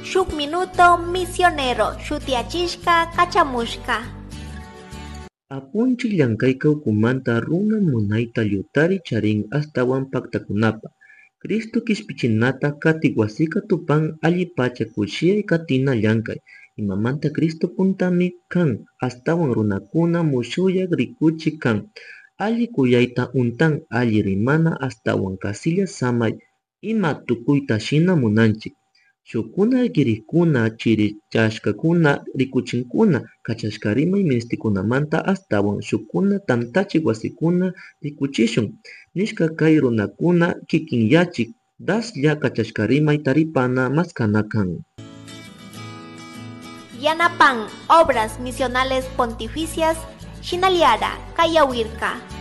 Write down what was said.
Shuk Minuto Misionero shutiyachishka kachamushka. Apunchik llankayka ukumanta runa munayta llutari charin ashtawan paktakunapa. Cristo kishpichinata katik wasika tupan allipacha kushiyay katina llankay. Imamanta Cristo puntami kan ashtawan runakuna mushuyak rikuchik kan. Alli kuyayta untan alli rimana ashtawan kasilla samay ima tukuyta shina munanchik. Shukkuna kirikuna chirichashkakuna rikuchinkuna kachashka rimay ministikunamanta ashtawan shukkuna tantachik wasikuna rikuchishun nishka kay runakuna kikinyachik daslla kachashka rimay taripana maskana kan. Yanapan Obras Misionales Pontificias Shinaliara Kayawirka.